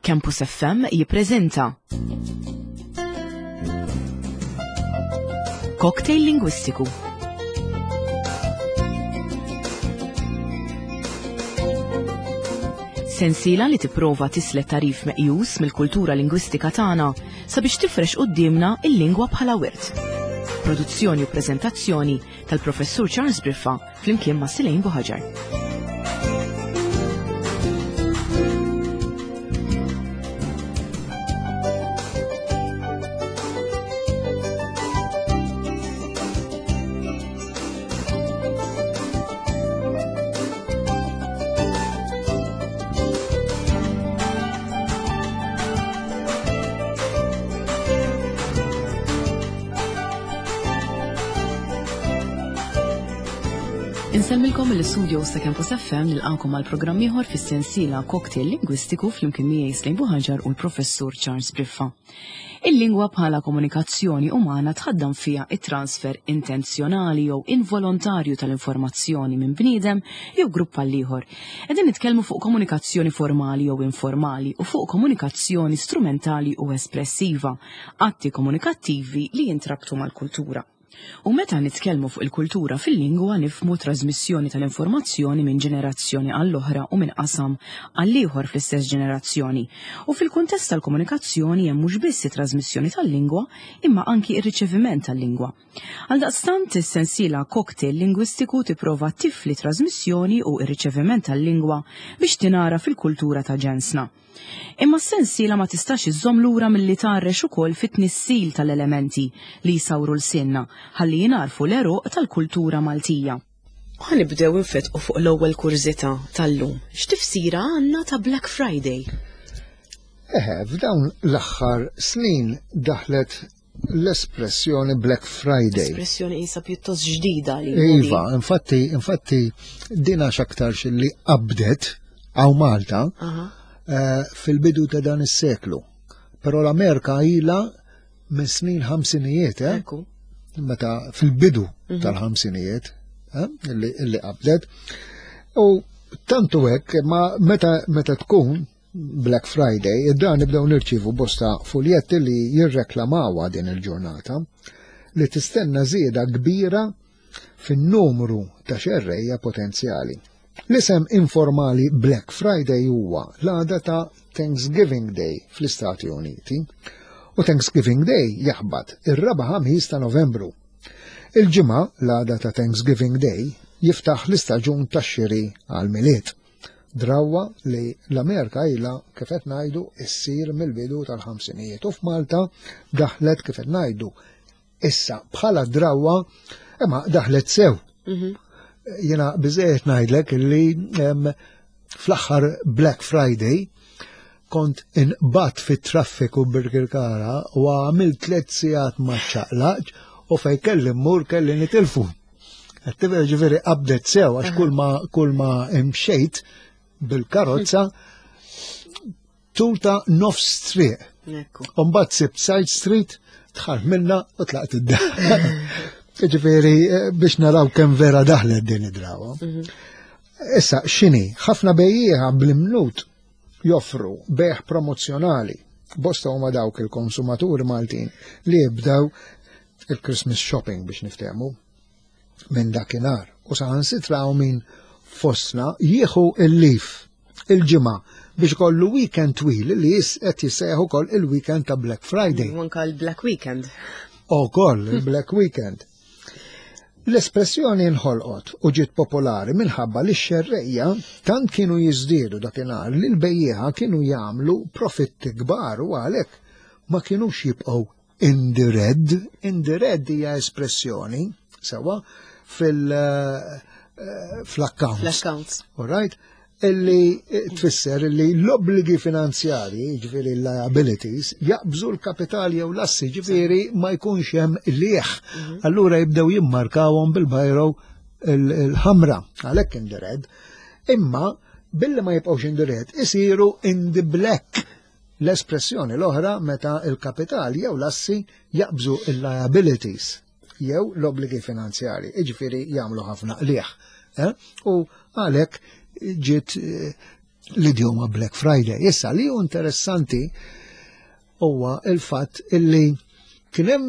Campus FM jippreżenta Cocktail Lingwistiku. Sensiela li tipprova tislet tarif meqjus mill-kultura lingwistika tagħna sabiex tifrex quddiemna il-lingwa bħala wirt. Produzzjoni u preżentazzjoni tal-Professur Charles Briffa flimkien ma' Silejn Buħaġar. Insemmilkom mill-istudios ta' Campus FM nilqakom għal programm ieħor fis-sensiela Cocktail Lingwistiku flimkien miegħi Slejn Buħaġar u l-Professur Charles Briffa. Il-lingwa bħala komunikazzjoni umana tħaddam fiha it-transfer intenzjonali jew involontarju tal-informazzjoni minn bniedem jew grupp għal ieħor. Qegħdin nitkellmu fuq komunikazzjoni formali jew informali u fuq komunikazzjoni strumentali u espressiva atti komunikattivi li jintrabtu mal-kultura. U meta nitkellmu fuq il-kultura fil-lingwa nifhmu trażmissjoni tal-informazzjoni minn ġenerazzjoni għall-oħra u minn qasam għall-ieħor fl-istess ġenerazzjoni. U fil-kuntest tal-komunikazzjoni hemm mhux biss it-trażmissjoni tal-lingwa imma anki r-riċeviment tal-lingwa. Għaldaqstant is-sensiela Cocktail Lingwistiku tipprova tifli trażmissjoni u r-riċeviment tal-lingwa biex tingħaraf il-kultura ta' ġensna. Imma s-sensiela ma tistax iżżomm lura milli tgħarrex ukoll fit-tnissil tal-elementi li jsawru lsienna ħalli jingħarfu l-għeruq tal-kultura Maltija. Ħa nibdew infetqu fuq l-ewwel kurżità tal-lum. X'tifsira għandna ta' Black Friday? Eħe, f'dawn l-aħħar snin daħlet l-espressjoni Black Friday. Espressjoni isa pjuttost ġdida li. Iva, infatti, infatti dina x'aktarx li qabdet għaw Malta eh, fil-bidu ta' dan is-seklu. Però l-Amerika ilha minn snin ħamsinijiet, eh? Meta fil-bidu mhm. tal-ħamsinijiet eh, li qabdet. U tantu hekk, ma meta meta tkun Black Friday, id-dar nibdew nirċievu bosta fuljetti li jirreklamawha din il-ġurnata li tistenna żieda kbira fin-numru ta' xerrejja potenzjali. L-isem informali Black Friday huwa l-għada ta' Thanksgiving Day fl-Istati Uniti u Thanksgiving Day jaħbat ir-raba' ħamis ta' Novembru. Il-ġimgħa l-għada ta' Thanksgiving Day jiftaħ l-istaġun tax-xiri għal-Milied. Drawwa li l-Amerika ilha kif qed ngħidu issir mill-bidu tal-ħamsinijiet u f'Malta daħlet kif qed ngħidu issa bħala drawwa imma daħlet sew. Mhm. Jiena biżejjed ngħidlek li fl-aħħar Black Friday kont inqbat fit-traffiku Birkirkara u għamilt tliet sigħat ma ċaqlaqx u fej kelli mmur kelli nitilfu. Għattiver ġifiri qabdet sew, għax kull ma kull ma imxejt bil-karozza tul ta' nofs triq. Umbat sibt side street, tħar minna u tlaqt id-dar. Ġifiri, eh, biex naraw kemm vera daħlet din id-drawa. Mhm. Issa, xini, ħafna bejjieħa bl-imnut joffru beħ promozzjonali. Bosta huma dawk il-konsumaturi Maltin li jibdew il-Christmas shopping biex niftehmu minn dakinhar u saħansitra hawn min fostna jieħu il-lif il-ġimgħa biex kollu weekend twil li qed jissejjaħ ukoll il-weekend ta' Black Friday. U anka l-Black Weekend. Ukoll il-Black Weekend. L-espressjoni nħolqot u ġiet popolari minħabba li x-xerrejja tant kienu jiżdiedu dakinhar li l-bejjieħa kienu jagħmlu profitti kbar u għalhekk ma kinux jibqgħu In the red, in the red hija espressjoni sewa fil eh, fl-accounts. Fl-accounts. All right? Illi tfisser illi l-obbligi finanzjari, ġifieri liabilities, jaqbżu l-kapital jew l-assi, ġifieri ma jkunx hemm lieħ. Mhm. Allura jibdew jimmarkawhom bil-bajro il-ħamra, għalhekk in the red. Imma billi ma jibqgħux in the red, isiru in the black. L-espressjoni l-oħra meta il-kapital jew l-assi jaqbżu il-liabilities jew l-obbligi finanzjari, iġifieri jagħmlu ħafna qligħ. Eh? U għalhekk ġiet eh, L-idjoma Black Friday. Issa li hu interessanti huwa il-fatt illi kien hemm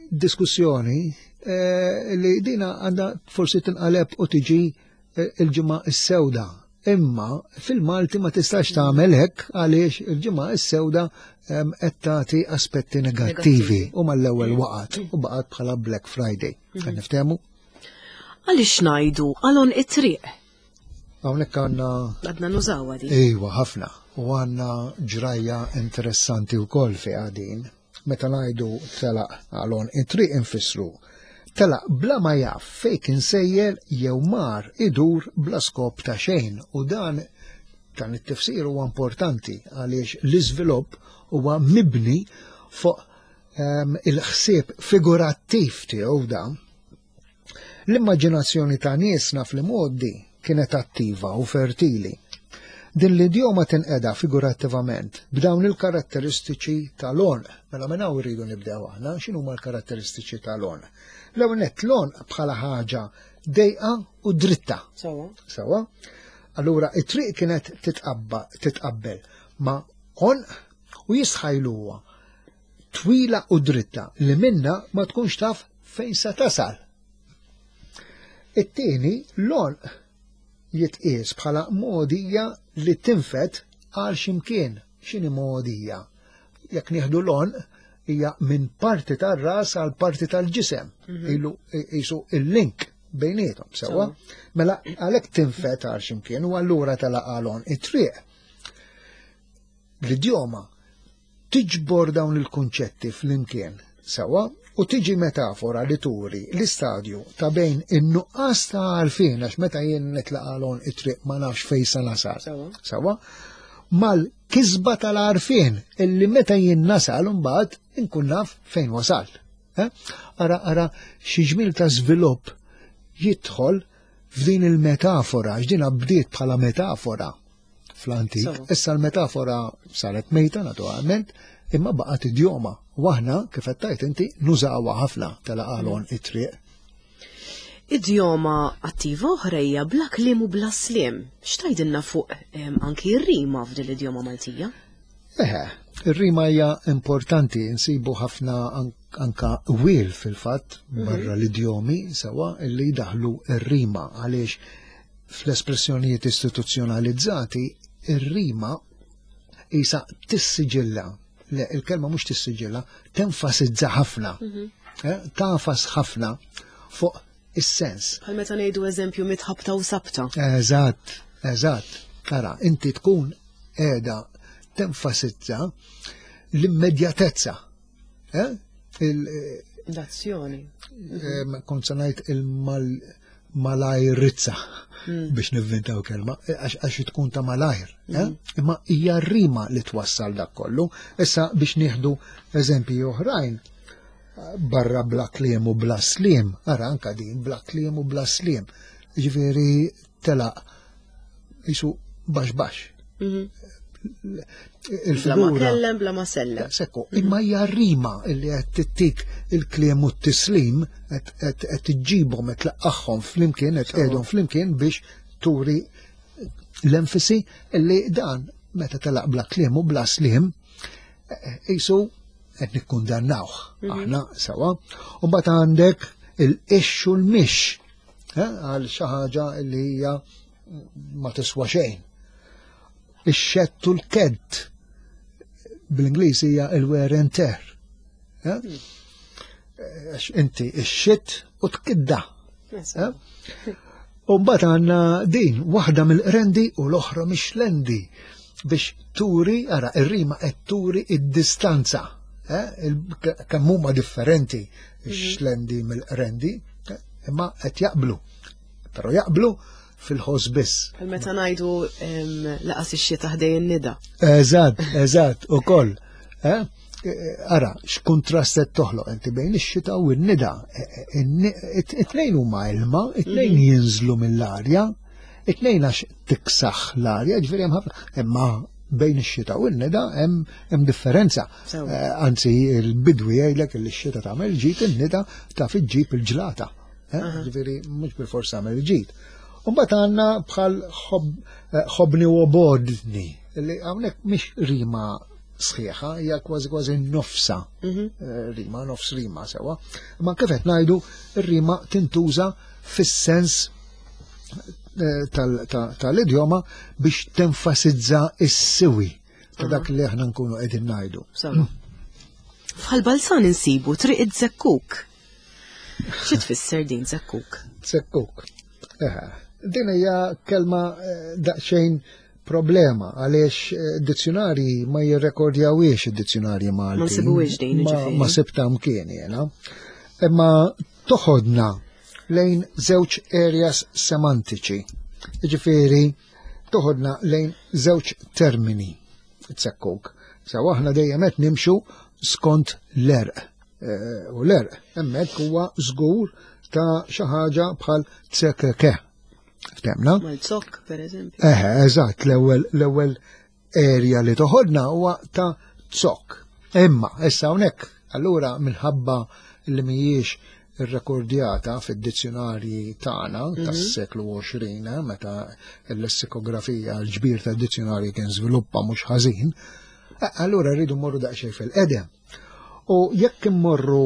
diskussjoni eh, li dina għandha forsi tinqaleb u tiġi eh, il-ġimgħa s-sewda. Imma fil-Malti ma tistax tagħmel hekk għaliex il-ġimgħa s-sewda qed tagħti aspetti negattivi u mal-ewwel waqgħet u baqgħet bħala Black Friday. Qed niftehmu? Għaliex ngħidu għalon it-triq? Hawnhekk għandna Għadna nużawha din. Iva, ħafna. U għandna ġrajja interessanti wkoll fi din. Meta ngħidu telaq għalon it-triq infissru telaq bla ma jaf fejn kien sejjer jew mar idur bla skop ta' xejn u dan dan it-tifsir huwa importanti għaliex l-iżvilupp huwa mibni fuq ehm, il-ħsieb figurattiv tiegħu dan. L-immaġinazzjoni ta' niesna fl-imgħoddi kienet attiva u fertili. Din l-idjoma tinqeda figurattivament b'dawn il-karatteristiċi tal-għonq. Mela minn hawn irridu nibdew aħna, x'inhuma l-karatteristiċi tal-għonq? L-ewwel nett l-għonq bħala ħaġa dejqa u dritta. Sawa. Sawa. Allura it-triq kienet titqabba titqabbel ma' għonq u jistħajluha twila u dritta li minna ma tkunx taf fejn se tasal. It-tieni, l-għonq jitqies bħala mogħdija li tinfed għal x'imkien. X'inhi mogħdija? Jekk nieħdu l-għonq hija minn parti tar-ras għal parti tal-ġisem. Mhm. Ilu jisu il-link bejnietom, sewwa? Mela għalhekk tinfed għal x'imkien u allura tela għalon it-triq. L-idjoma tiġbor dawn il-kunċetti flimkien sewwa u tiġi metafora li turi l-istadju ta' bejn in-nuqqas ta' għarfien għax meta jien nitlaq għalon it-triq ma nafx fejn sa nasal. Sewwa mal-kisba tal-għarfien illi meta jien nasal imbagħad inkun naf fejn wasalt. Eh? Ara ara xi ġmiel ta' żvilupp jidħol f'din il-metafora, għax din bdiet bħala metafora fl-antik. Issa l-metafora saret mejta naturalment, imma baqgħet idjoma. U aħna, kif qed tgħid inti, nużawha ħafna tal-qalon mm. it-triq. Idjoma attiva oħra hija bla kliem u bla sliem. X'tgħidilna fuq anki r-rima f'din l-idjoma Maltija? Eħe, ir-rima hija importanti, nsibu ħafna anka wil fil-fatt mhm. barra l-idjomi sewa illi jdaħlu r-rima għaliex Fl-espressjonijiet istituzzjonalizzati, ir-rima isa tissiġilla. Le, il-kelma mhux tissiġilla, tenfasizza ħafna. Mhm. Eh, tafas ħafna fuq is-sens. Bħal meta ngħidu eżempju mitħabta u sabta. Eżatt, eżatt. Tara, inti tkun qiegħda tenfasizza l-immedjatezza. Eh? L-azzjoni. Kont se ngħid il-malajrizza hmm. biex nivvintaw kelma, eh, għax tkun ta' malajr. Eh? Hmm. Imma hija rima li twassal dak kollu. Issa biex nieħdu eżempji oħrajn, barra bla kliem u bla slim, ara anka din bla kliem u bla slim. Ġifieri telaq jisu baxx baxx. Mhm. Il-figura. Bla ma kellem, bla ma sellem. Sekku, imma hija rima illi qed tittik il-kliem u t-tislim qed tiġġibhom qed tlaqqagħhom flimkien qed tqegħdhom flimkien biex turi l-enfisi illi dan meta telaq bla kliem u bla slim jisu qed nikkundannawh mhm. aħna sewa. U mbagħad għandek il-ix u l-mix eh, għal xi ħaġa li hija ma tiswa xejn. Ix-xett u l-kedd bl-Ingliż hija il-wear and tear. Eh? Għax inti ix-xit u tkidda. Eh? U mbagħad għandna din waħda mill-qrendi u l-oħra mix-xlendi biex turi, ara, ir-rima qed turi id-distanza. Eh? Kemm huma differenti ix-xlendi mill-qrendi, imma qed jaqblu. Però jaqblu fil-ħoss biss. Bħal meta ngħidu laqas ix-xita ħdej in-nida. Eżatt, eżatt, ukoll. Eh? eh ara, x'kuntrast qed toħloq inti bejn ix-xita u n-nida. Eh, it-tnejn huma ilma, it-tnejn mhm. jinżlu mill-arja, it-tnejn għax tiksaħ l-arja, ġifieri hemm ħafna, imma bejn ix-xita u n-nida hemm differenza. Anzi, il-bidwi jgħidlek li x-xita tagħmel ġid, in-nida taf iġġib il-ġlata. Eh, ġifieri mhux bil-forsa għamel ġid. Mbagħad għandna bħal eh, ħobni u obodni, li hawnhekk mhix rima sħiħa, hija kważi kważi nofsa mhm. eh, rima, nofs rima sewa. Ma kif qed ngħidu, ir-rima tintuża fis-sens eh, tal-idjoma biex tenfasizza is-siwi ta' dak li aħna nkunu qegħdin ngħidu. Fħal balzan insibu triq id-zekkuk. Xi tfisser din zekkuk? Zekkuk. Eh, din hija kelma eh, daqsxejn problema għaliex eh, dizzjonarji ma jirrekordjawiex id-dizzjonarji Malti. Ma nsibuwiex din Ma sibta mkien jena. Imma toħodna lejn żewġ areas semantiċi. Ġifieri toħodna lejn żewġ termini tsekkuk. Sew aħna dejjem qed nimxu skont l-erq. Eh, u l-erq hemmhekk huwa żgur ta' xi ħaġa bħal tsekeke. Ftemna? Mal-zokk, per eżempju. Eħe, eżatt, l-ewwel l-ewwel area li toħodna huwa ta' zokk. Imma, issa hawnhekk, allura minħabba li mhijiex irrekordjata fid-dizzjonarji tagħna mhm. tas-seklu 20 eh, meta l-lessikografija l-ġbir tad-dizzjonarji kien żviluppa mhux ħażin, eh, allura rridu mmorru daqsxejn fil-qedem. U jekk immorru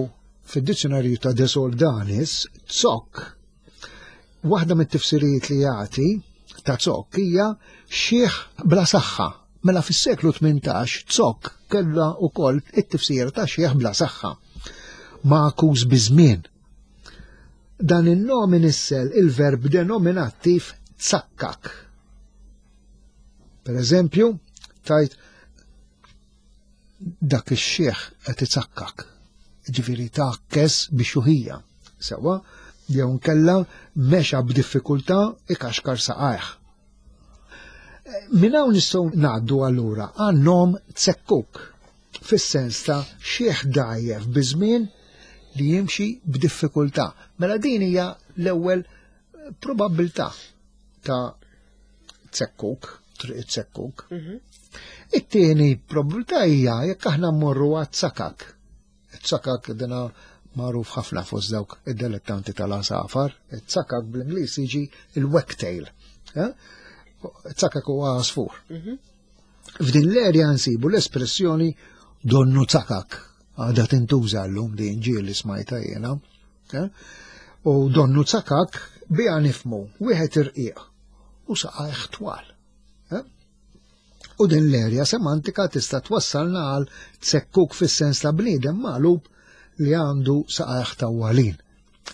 fid-dizzjonarju ta' De Soldanis, zokk, waħda mit-tifsirijiet li jagħti ta' zokk hija xieħ bla saħħa. Mela fis-seklu 18 zokk kellha wkoll it-tifsira ta' xieħ bla saħħa. Magħkus biż-żmien. Dan in-nom inissel il-verb denominattiv tsakkak. Per eżempju, tajt dak ix-xiħ qed itsakkak. Ġifieri tgħakkes biex juħija. Sewwa, jew nkella mexa b'diffikultà ikaxkar saqajh. Minn hawn nistgħu ngħaddu allura għan-nom tsekkuk fis-sens ta' xiħ dgħajjef biż-żmien li jimxi b'diffikultà. Mela din hija l-ewwel probabbiltà ta' tsekkuk, triq it-tsekkuk. Mhm. It-tieni probabilità hija jekk aħna mmorru għad sakak. It-sakak dina magħruf ħafna fost dawk id-delettanti tal-asafar. It-sakak bl-Ingliż jiġi il-wagtail. Eh? It-sakak huwa għasfur. Mhm. F'din l-erja nsibu l-espressjoni donnu sakak. Għadha tintuża llum din ġieli smajta jiena. Eh? U donnu sakak biha nifmu wieħed irqiq u saqajh twal. Eh? U din l-erja semantika tista' twassalna għal tsekkuk fis-sens ta' bniedem magħlub li għandu saqajh tawwalin.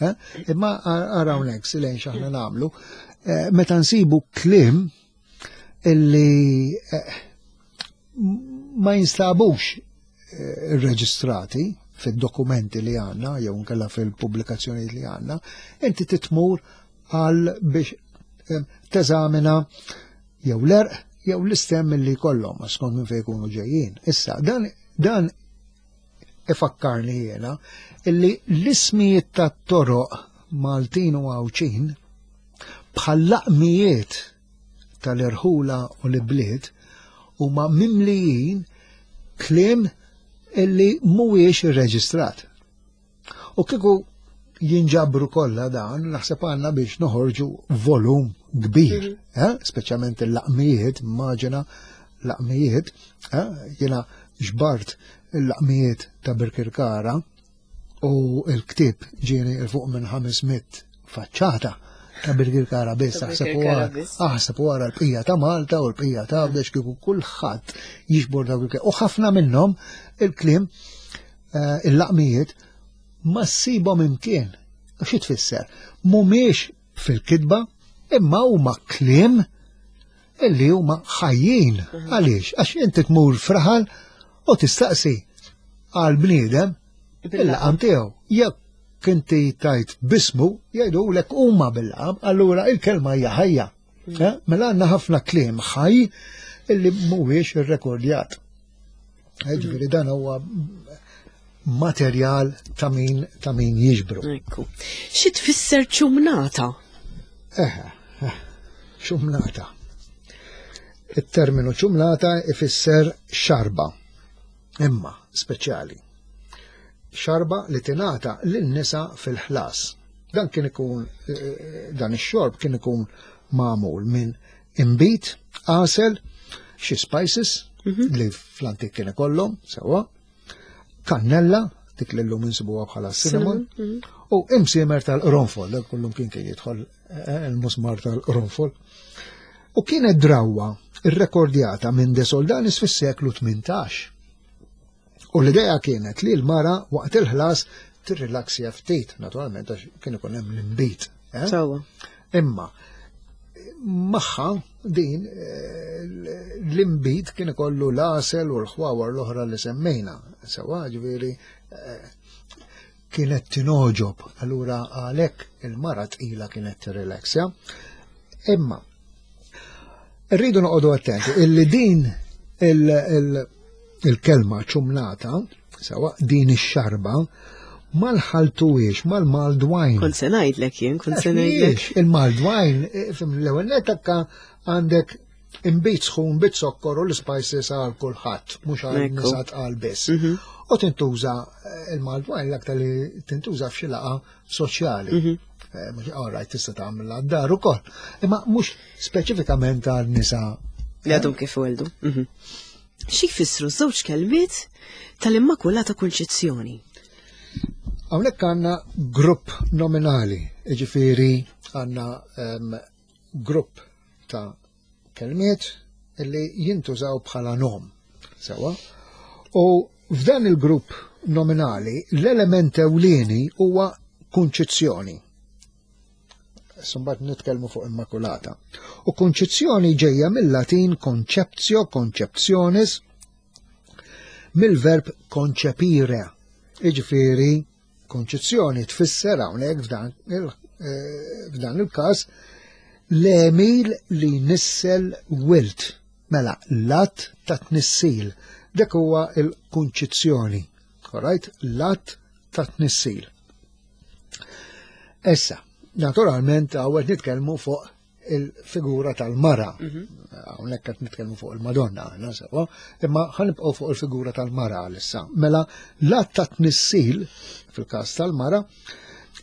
Eh? Imma araw hawnhekk silejn x'aħna nagħmlu, eh, meta nsibu kliem illi eh, ma jinstabux irreġistrati fid-dokumenti li għanna, jew nkella fil-pubblikazzjonijiet li għanna, inti titmur għal biex eh, teżamina jew l-erq jew l-istem li kollhom skont minn fejn jkunu ġejjin. Issa, dan, dan ifakkarni jiena illi l-ismijiet tat-toroq Maltin u Għawdxin bħal laqmijiet tal-irħula u l-ibliet huma mimlijin kliem illi mhuwiex irreġistrat. U kieku jinġabru kollha dan, naħseb għandna biex noħorġu volum kbir, mhm. eh? speċjalment il-laqmijiet, immaġina laqmijiet, eh? jiena ġbart il-laqmijiet ta' Birkirkara u l-ktieb ġieni 'l fuq minn 500 faċċata ta' Birkirkara biss, aħseb u ara l-bqija ta' Malta u l-bqija ta' għawdex kieku kulħadd jiġbor dawk il-kliem. U ħafna minnhom il-kliem eh, il-laqmijiet ma ssibhom imkien. Xi tfisser? Mhumiex fil-kitba imma huma kliem illi huma ħajjin. Mhm. Għaliex? Għax inti tmur fraħal u tistaqsi għal bniedem il-laqam tiegħu. Jekk inti tajt bismu, jgħidulek huma bil-laqam, allura il-kelma hija ħajja. Mhm. Eh? Mela għandna ħafna kliem ħaj illi mhuwiex irrekordjat. Eh, ġifieri dan huwa materjal ta' min ta' min jiġbru. Ekku. Xi tfisser ċumnata? Eh, eh, ċumnata. Il-terminu ċumnata ifisser xarba, imma speċjali. Xarba li tingħata lin-nisa fil-ħlas. Dan kien ikun eh, dan ix-xorb kien ikun magħmul minn inbid, għasel, xi spices mhm. li fl-antik kien ikollhom sewwa, kannella, dik li llum insibuha bħala cinnamon, mhm. u imsiemer tal-qronfol, dak kullum kien kien jidħol eh, il-musmar tal-qronfol. U kienet drawwa irrekordjata minn De Soldanis fis-seklu 18. U l-idea kienet li l-mara waqt il-ħlas tirrilaksja ftit, naturalment għax kien ikun hemm l-imbit. Eh? Sewwa. Imma magħha din eh, l-imbit kien ikollu l-għasel u l-ħwawar l-oħra li semmejna. Sewwa ġifieri eh, kienet tinoġob, allura għalhekk il-mara tqila kienet tirrilaksja. Imma rridu noqogħdu attenti illi din il-kelma ċumnata, sewa din ix-xarba, mal-ħaltuwiex, mal-mulled wine. Kont se ngħidlek jien, kont se ngħidlek. Il-mulled wine, eh, fim l-ewwel nettakka għandek imbit sħun bit sokkor u l-spices għal kulħadd, mhux għal nisa tqal biss. Mhm. U tintuża eh, il-mulled wine l-aktar li tintuża f'xi laqgħa soċjali. Mhm. Eh, mhux all right tista' tagħmilha d-dar ukoll. Imma mhux speċifikament għal nisa li għadhom kif weldu. Mhm. Xi jfissru żewġ kelmiet tal-Immakulata Kunċizzjoni? Hawnhekk għandna grupp nominali, jiġifieri għandna ehm, grupp ta' kelmiet li jintużaw bħala nom. Sewa? U f'dan il-grupp nominali l-element ewlieni huwa kunċizzjoni. Sumbat nitkellmu fuq Immakulata. U kunċizzjoni ġejja mill-Latin conceptio, conceptionis, mill-verb concepire. Iġifieri Konċizzjoni tfisser hawnhekk f'dan eh, il-każ l-għemil li nissel wilt. Mela, l-att ta' tnissil. Dak huwa il-kunċizzjoni. Alright? L-att ta' tnissil. Issa, naturalment għawet nitkellmu fuq il-figura tal-mara. Mhm. Hawnhekk qed nitkellmu fuq il-Madonna aħna sewwa, imma ħanibqgħu fuq il-figura tal-mara għalissa. Mela l-att ta' tnissil fil-każ tal-mara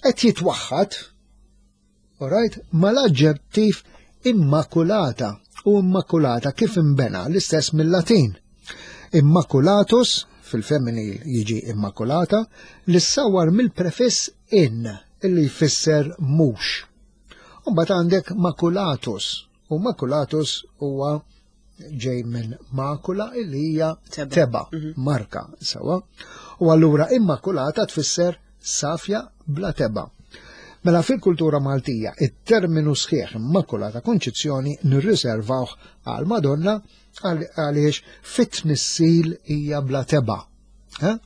qed jitwaħħad alright, mal-aġġettiv immakulata u immakulata kif imbena l-istess mill-Latin. Immaculatus fil-femminil jiġi immakulata li ssawwar mill-prefiss in illi jfisser mhux. U mbagħad għandek maculatus. U maculatus huwa ġej minn makula illi hija teba, mhm. marka, sewa. U allura immakulata tfisser safja bla teba. Mela fil-kultura Maltija, it-terminu sħiħ immakulata konċizzjoni nirriservawh għal Madonna għaliex fit-tnissil hija bla teba. Eh?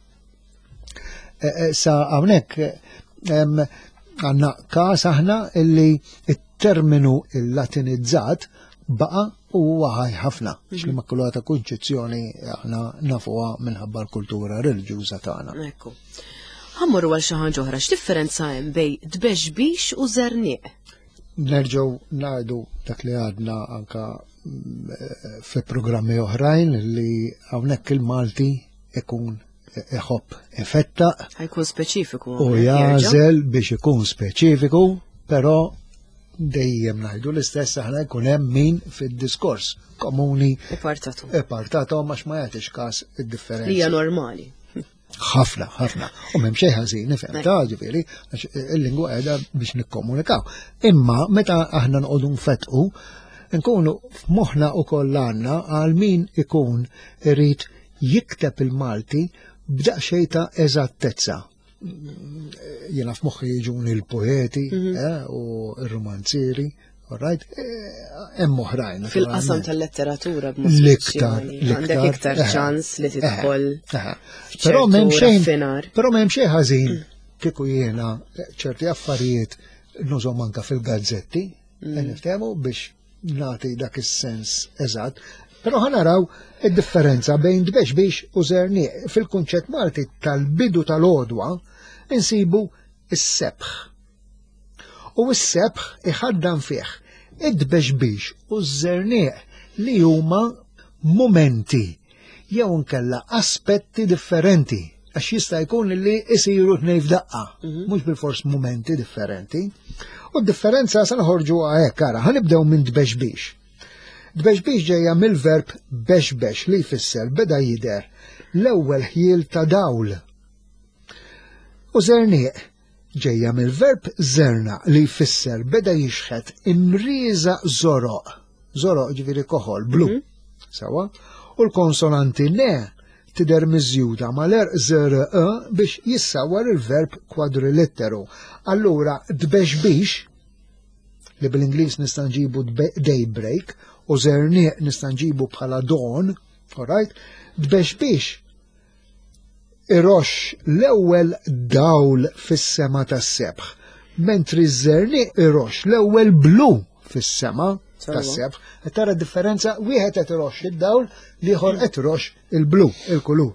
Eh, eh, sa hawnhekk għandna każ aħna illi it-terminu il-Latinizzat baqa u huwa ħaj ħafna mhm. x'l-Immakulata Kunċizzjoni aħna nafuha minħabba l-kultura reliġjuża tagħna. Ekku. Ħammurru għal xi ħaġa oħra, x'differenza hemm bej tbexbix u żerniq? Nerġgħu ngħidu dak li għadna anka mm, eh, fi programmi oħrajn li hawnhekk il-Malti ikun iħobb ifettaq. Jkun speċifiku. U jażel biex ikun speċifiku, però dejjem ngħidu l-istess aħna jkun hemm min fid-diskors komuni. Ipartatu. Ipartatu għax ma jagħtix każ id-differenza. Hija normali. Ħafna, ħafna. U m'hemm xejn ħażin, nifhem ta' ġifieri, għax il-lingwa qiegħda biex nikkomunikaw. Imma meta aħna nqogħdu nfettqu, nkunu f'moħħna ukoll għandna għal min ikun irid jikteb il-Malti b'daqsxejn ta' eżattezza. Jiena f'moħħi jiġuni l-poeti mhm. eh, u r-romanzieri, right? Eh, hemm oħrajn. Fil-qasam tal-letteratura b'mod l-iktar, għandek iktar eh, ċans li tidħol. Però m'hemm xejn, però m'hemm xejn ħażin mm. kieku jiena ċerti affarijiet nużhom anka fil-gazzetti, mm. niftehmu biex nagħti dak is-sens eżatt, però ħa naraw id-differenza bejn tbexbix u żerniq. Fil-kunċett Malti tal-bidu tal-għodwa insibu s-sebħ. U s-sebħ iħaddan fih id-tbexbix u ż-żerniq li huma mumenti jew nkella aspetti differenti. Għax jista' jkun li isiru tnej f'daqqa, mhm. mhux bil-fors mumenti differenti. U d-differenza se noħorġu hekk ara, ħanibdew minn tbexbix. Tbexbix ġejja mill-verb bexbex li jfisser beda jidher l-ewwel ħjiel ta' dawl. U żerniq ġejja mill-verb żerna li jfisser beda jixħet imrieża żoroq. Żoroq ġifieri koħol, blu. Mhm. Sawa? U l-konsonanti ne tidher miżjuda mal-erq zr e biex jissawwar il-verb kwadrilitteru. Allura tbexbix li bil-Ingliż nista' nġibu daybreak u żerniq nista' nġibu bħala dawn, alright? Tbexbix iroxx l-ewwel dawl fis-sema tas-sebħ, mentri ż-żerniq iroxx l-ewwel blu fis-sema tas-sebħ. Qed tara differenza wieħed qed iroxx id-dawl, l-ieħor qed iroxx il-blu, il-kulur.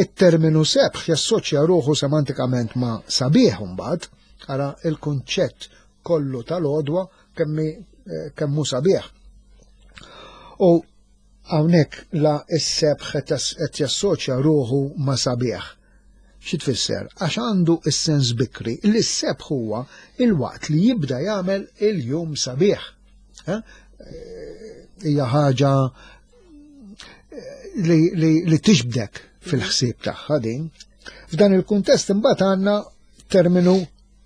It-terminu sebħ jassoċja ruħu semantikament ma' sabiħ imbagħad, ara il-kunċett kollu tal-għodwa kemmi eh, kemmu sabiħ. U Hawnhekk la s-sebħ qed jassoċja ruħu ma' sabiħ. Xi tfisser? Għax għandu s-sens bikri li s-sebħ huwa il-waqt li jibda jagħmel il-jum sabiħ. Eh? Hija ħaġa eh, li, li, li tixbdek fil-ħsieb tagħha din. F'dan il-kuntest imbagħad għandna terminu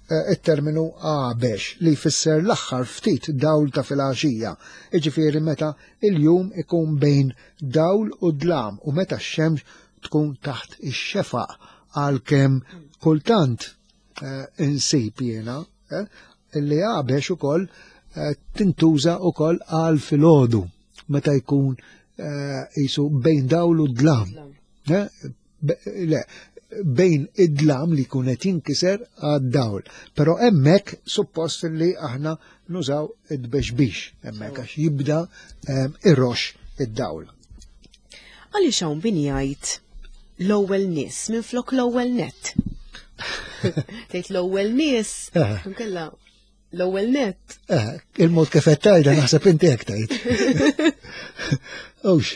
Eh, it-terminu għabex li jfisser l-aħħar ftit dawl ta' filgħaxija, jiġifieri meta il-jum ikun bejn dawl u dlam u meta x-xemx tkun taħt ix-xefaq għalkemm kultant eh, insib jiena eh, li għabex ukoll tintuża ukoll għal filgħodu meta jkun jisu bejn dawl u dlam. Le, bejn id-dlam li jkun qed jinkiser għad-dawl. Però hemmhekk suppost li aħna nużaw id-bexbix hemmhekk għax jibda ehm, irrox id-dawl. Għaliex hawn min jgħid l-ewwel nies minflok l-ewwel net? Tgħid l-ewwel nies, eh. nkella L-ewwel net. Eh, il-mod kif qed tgħidha naħseb inti hekk tgħid. Ux.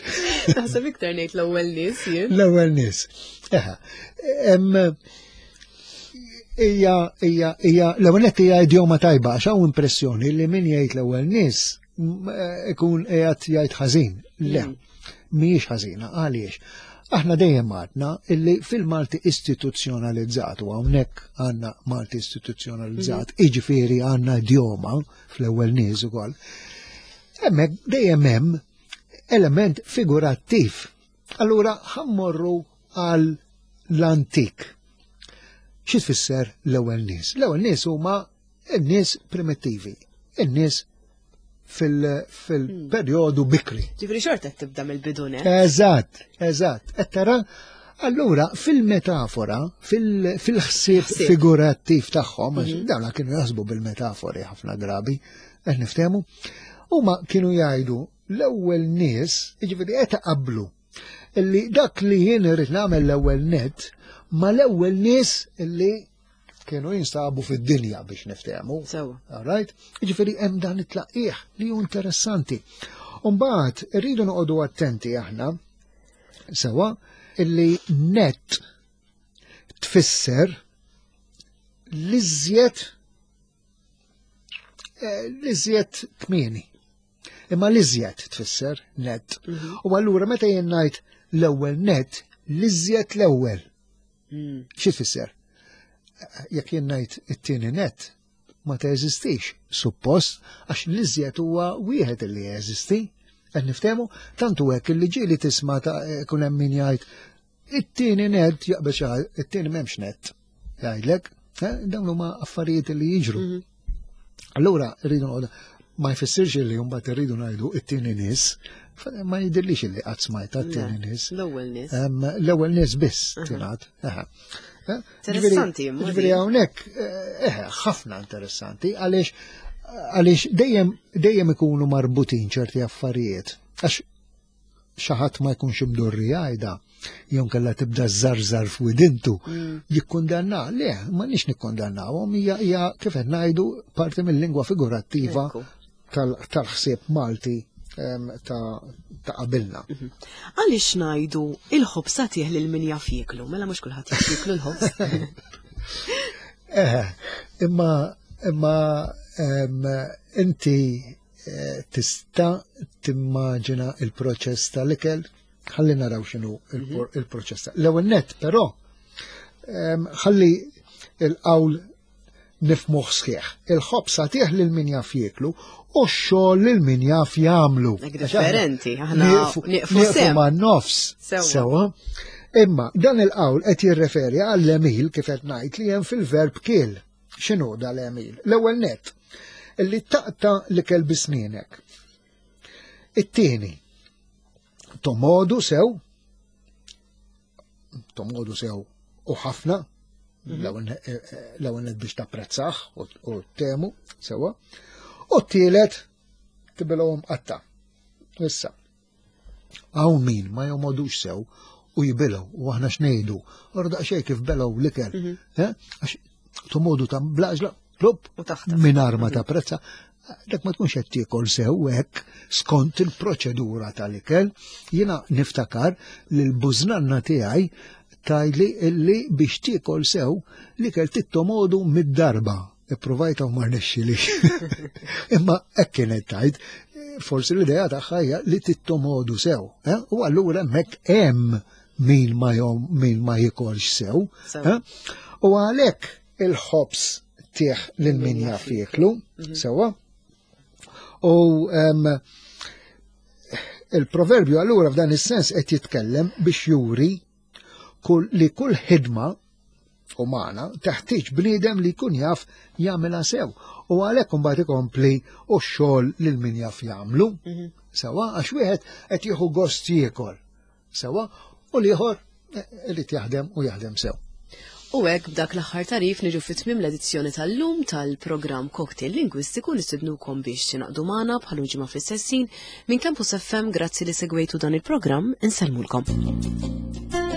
Naħseb iktar ngħid l-ewwel nies jien. L-ewwel nies. Eh, hija hija hija l-ewwel net hija idjoma tajba għax hawn impressjoni li min jgħid l-ewwel nies eh, ikun qiegħed jgħid ħażin. Le, mm. mhijiex ħażina, għaliex? Aħna dejjem għadna illi fil-Malti istituzzjonalizzat u hawnhekk għandna Malti istituzzjonalizzat, mhm. iġifieri għandna idjoma fl-ewwel nies ukoll. Hemmhekk dejjem hemm element figurattiv. Allura ħammorru għal l-antik. Xi tfisser l-ewwel nies? L-ewwel nies huma n-nies primittivi, in-nies fil-perjodu bikri. Ġifri xorta tibda mill-bidu Eżatt, eżatt. Qed tara, allura fil-metafora, fil-ħsieb figurattiv tagħhom, mhm. dawna kienu jaħsbu bil-metafori ħafna drabi, qed niftehmu, huma kienu jgħidu l-ewwel nies, jiġifieri qed qablu illi dak li jien irrid nagħmel l-ewwel net ma l-ewwel nies illi kienu jinsabu fid-dinja biex niftehmu. Sewa. All right? Jiġifieri hemm dan it-tlaqqih li hu interessanti. Umbagħad irridu noqogħdu attenti aħna sewa illi net tfisser l-iżjed eh, l-iżjed kmieni. Imma l-iżjed tfisser net. Mhm. U allura meta jien ngħid l-ewwel net, l-iżjed l-ewwel. Hmm. Xi tfisser? Jekk jien ngħid it-tieni net, ma teżistix, suppost, għax l-iżjed huwa wieħed li jeżisti. Qed niftehmu, tantu hekk li ġieli tisma' ta' kun hemm min jgħid it-tieni net jaqbel xi it-tieni m'hemmx net. Jgħidlek, eh, dawn huma affarijiet li jiġru. Mhm. Allura rridu ma jfissirx li mbagħad irridu ngħidu it-tieni nies, ma jidhirlix li qatt smajta t-tieni nies. L-ewwel nies. L-ewwel nies biss tingħad. Eh, interessanti. Ġifieri hawnhekk eh, eh, ħafna interessanti għaliex għaliex dejjem dejjem ikunu marbutin ċerti affarijiet. Għax xi ħadd ma jkunx imdorri jgħidha, jew kellha tibda żarżar f'widintu, mm. jikkundanna. Le, ma nix nikkundannawhom, hija hija kif qed ngħidu parti mill-lingwa figurattiva tal-ħsieb Malti ta' qabilna. Mhm. Għaliex ngħidu il-ħobż tagħtih lil min jaf jieklu, mela mhux kulħadd jaf jieklu l-ħobż. Eh, imma imma inti eh, tista' timmaġina il-proċess tal-ikel, ħalli naraw x'inhu mhm. il-proċess. L-ewwel nett però ħalli il-qawl nifmuh sħiħ. Il-ħobż għatih lil min jaf jieklu u x-xogħol lil min jaf jagħmlu. Differenti, aħna nieqfu ma' nofs. Sewa. Imma dan il-qawl qed jirreferi għall-emil kif qed ngħid li hemm fil-verb kiel. X'inhu dal-emil? L-ewwel nett, li taqta l-ikel bisnienek. It-tieni, tomodu sew, tomodu sew u ħafna, mhm. eh, eh, l-ewwel biex tapprezzah u temu sewa. U t-tielet tibilhom qatta. Issa, hawn min ma jomodux sew u jibilgħu u aħna x'ngħidu. Ora daqsxejn kif belgħu l-ikel. Mhm. Eh? Għax tomodu ta' blaġla, plup, mingħajr ma mhm. tapprezza, dak ma tkunx qed tiekol sew hekk skont il-proċedura tal-ikel. Jiena niftakar li l-bużnanna tiegħi tajli illi biex tiekol sew l-ikel tittomodu mid-darba. Ippruvajta u ma rnexxilix. Imma hekk kienet tajt, forsi l-idea tagħha hija li tittomodu sew. Eh? U allura hemmhekk hemm min ma jom min ma jikolx sew. Eh? U għalhekk il-ħobż tieħ lil min jaf jieklu, mhm. sewwa. U il-proverbju allura f'dan is-sens qed jitkellem biex juri kull, li kull ħidma umana teħtieġ bniedem li jkun jaf jagħmilha sew. U għalhekk imbagħad ikompli u x-xogħol lil min jaf jagħmlu. Mhm. Sewa għax wieħed qed jieħu gost jiekol. Sewa, u l-ieħor eh, irid jaħdem u jaħdem sew. U hekk b'dak l-aħħar tarif niġu fi tmiem l-edizzjoni tal-lum tal-programm Cocktail Lingwistiku nistidnukom biex tingħaqdu magħna bħal ġimgħa fl-istess ħin minn Campus FM grazzi li segwejtu dan il-programm insellmulkom.